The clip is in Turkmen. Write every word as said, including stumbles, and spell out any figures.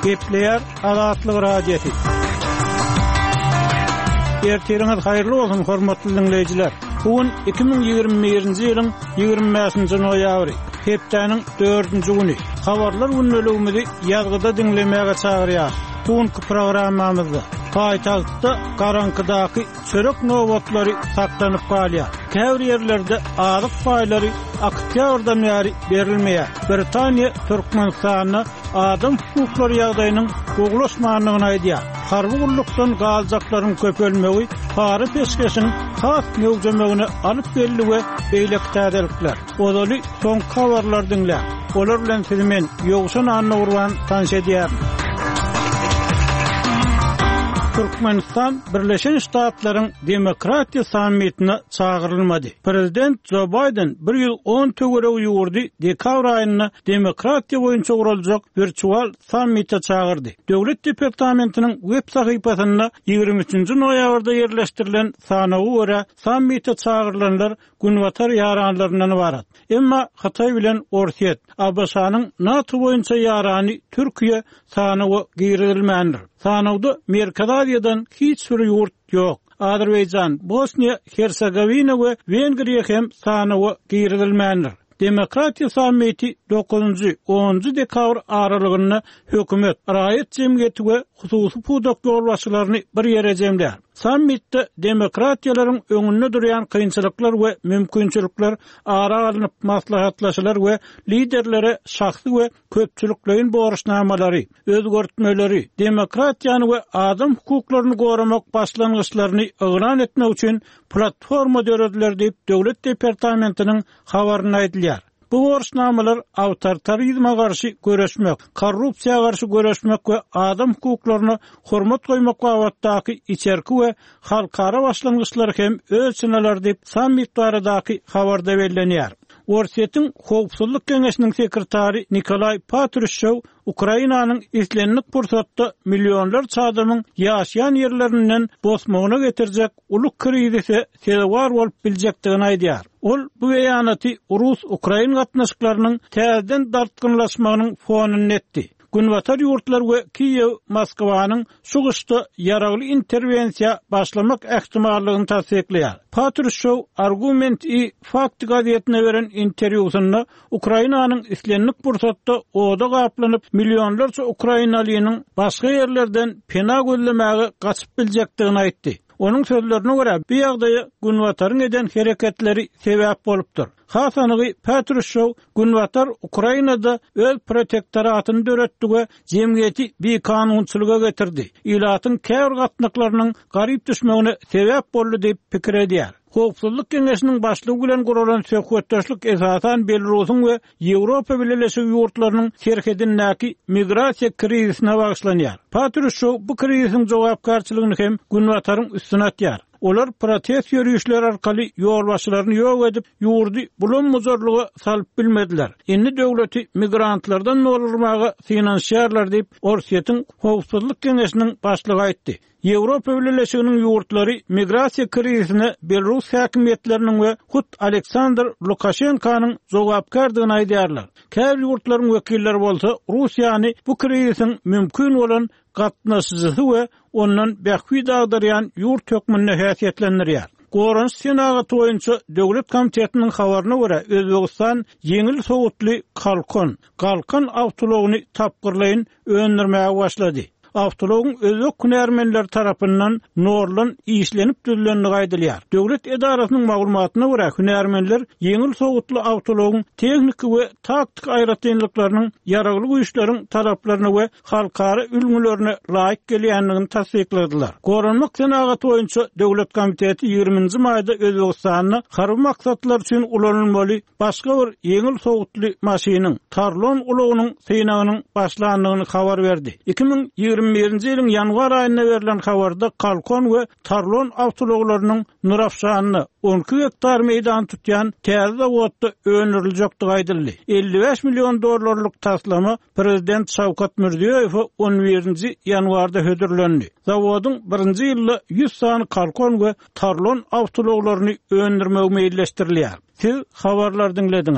Gepleýär Azatlyk Radiosy. Ertiriňiz haýyrly bolsun, hormatly diňleýjiler. Bu gün iki müň ýigrimi birinji ýylyň ýigrimi bäşinji noýabry, hepdäniň dördünji güni. Habarlar gündeligimizi ýazgyda diňlemäge çagyrýar. Bu günki programmamyzda paýtagtda garaňkydaky çörek nobatlary saklanyp galýar. Käbir ýerlerde azyk paýlary oktýabrdan bäri berilmeýär. Britaniýa Türkmenistanda adam hukuklary ýagdaýynyň gowulaşmandygyny aýdýar. Harby gullukdan galjaklaryň köpelmegi para-peşgeşiň has möwjemegine alyp geldi we beýleki täzelikler. Ozaly soňky habarlary diňläň. Olar bilen sizi men Ýowşan Annagurban tanyş edýärin. Türkmenistan Birleşen Ştatlaryň Demokratiýa sammitine çagyrylmady. Prezident Jo Baýden bir ýüz on töweregi ýurdy dekabr aýynda demokratiýa boýunça guraljak wirtual sammite çagyrdy. Döwlet departamentiniň web sahypasynda ýigrimi üçünji noýabrda ýerleşdirilen sanawa görä sammite çagyrylanlar Günbatar ýaranlaryndan ybarat. Emma Hytaý bilen Orsýet, A B Ş-nyň NATO boýunça ýarany Türkiýe sanawa girizilmändir. Sanawda Merkezi Aziýadan hiç bir ýurt ýok. Azerbaýjan, Bosniýa, Hersegowina we Wengriýa hem sanawa girizilmändir. Demokratiýa sammiti dokuzynjy, onunjy dekabr aralygynda hökümet, raýat jemgyýeti we hususy pudak ýolbaşçylaryny bir ýere jemlär. Sammitde demokratiýalaryň öňünde durýan kynçylyklar we mümkinçilikler ara alnyp maslahatlaşylar we liderlere şahsy we köpçülikleýin borçnamalary, özgertmeleri, demokratiýany we adam hukuklaryny goramak başlangyçlaryny yglan etmek üçin platforma dörediler diýip Döwlet departamentiniň habarynda aýdylýar. Bu borçnamalar awtoritarizme garşy göreşmek, korrupsiýa garşy göreşmek we adam hukuklaryna hormat goýmak babatdaky içerki we halkara başlangyçlary hem öz içine alar diýip sammit baradaky habarda bellenýär. Orsýetiň Howpsuzlyk Geňeşiniň sekretary Nikolay Patrushew Ukrainanyň islendik pursatda millionlarça adamyň ýaşaýan ýerlerinden bosmagyna getirjek uly krizise sezewar bolup biljekdigini aýdýar. Ol bu beýanaty Rus-Ukrain gatnaşyklarynyň täzeden dartgynlaşmagynyň fonunda etdi. Günbatar ýurtlar we Kiýew Moskwanyň şu gyşda ýaragly interwensiýa başlamak ähtimallygyny tassyklaýar. Patrushew Argument i Fakt gazetine beren interwýusynda Ukrainanyň islendik pursatda oda gaplanyp millionlarça ukrainalynyň başga ýerlerden pena gözlemäge gaçyp biljekdigini aýtdy. Onuň sözlerine görä, bu ýagdaýa Günbataryň eden hereketleri sebäp bolupdyr. Has anygy Patrushew Günbatar Ukrainada öz protektoratyny döretdi we jemgyýeti bikanunçylyga getirdi. Ilatyň käbir gatnaklarynyň garyp düşmegine sebäp boldy diýip pikir edýär. Howpsuzlyk Geňeşiniň başlygy bilen guralan söhbetdeşlik esasan Belarusyň we Ýewropa Bileleşigi ýurtlarynyň serhedindäki migrasiýa krizisine bagyşlanýar. Patrushew bu krizisiň jogapkärçiligini hem Günbataryň üstüne atýar. Olar protest ýörüşleri arkaly ýolbaşçylaryny ýok edip, ýurdy bulam-buzarlyga salyp bilmediler. Indi döwleti migrantlardan doldurmaga synanyşýarlar diýip, Orsýetiň Howpsuzlyk Geňeşiniň başlygy aýtdy. Ýewropa Bileleşiginiň ýurtlary migrasiýa krizisine Belarus häkimiýetleriniň we hut Aleksandr Lukaşenkanyň jogapkärdigini aýdýarlar. Käbir ýurtlaryň wekilleri bolsa Russiýany bu krizisiň mümkin bolan gatnaşyjysy we ondan bähbit agdarýan ýurt hökmünde häsiýetlendirýär. Goranyş senagaty boýunça Döwlet komitetiniň habaryna görä, Özbegistan ýeňil sowutly Kalkon, Galkan awtoulagyny tapgyrlaýyn öndürmäge başlady. Awtoulagyň özbek hünärmenleri tarapyndan norlan işlenip düzülendigi aýdylýar. Döwlet edarasynyň maglumatyna görä, hünärmenler ýeňil sowutly awtoulagyň tehniki we taktik aýratynlyklarynyň ýaragly güýçleriň talaplaryna we halkara ülňülerine laýyk gelýändigini tassykladylar. Goranmak senagaty boýunça Döwlet komiteti ýigriminji maýda Özbegistanda harby maksatlar üçin ulanylmaly başga bir ýeňil sowutly maşynyň Tarlon ulagynyň synagynyň başlandygyny habar berdi. Iki müň ýigrimi birinji ýylyň ýanwar aýynda berlen habarda Kalkon we Tarlon awtoulaglarynyň Nurafşanda on iki gektar meýdan tutýan täze zawodda öndüriljekdigi aýdyldy. Elli bäş million dollarlyk taslama Prezident Şawkat Mirziýoýewe on birinji ýanwarda hödürlendi. Zawodyň birinji ýylda ýüz sany Kalkon we Tarlon awtoulaglaryny öndürmegi meýilleşdirilýär. Siz habarlar diňlediňiz.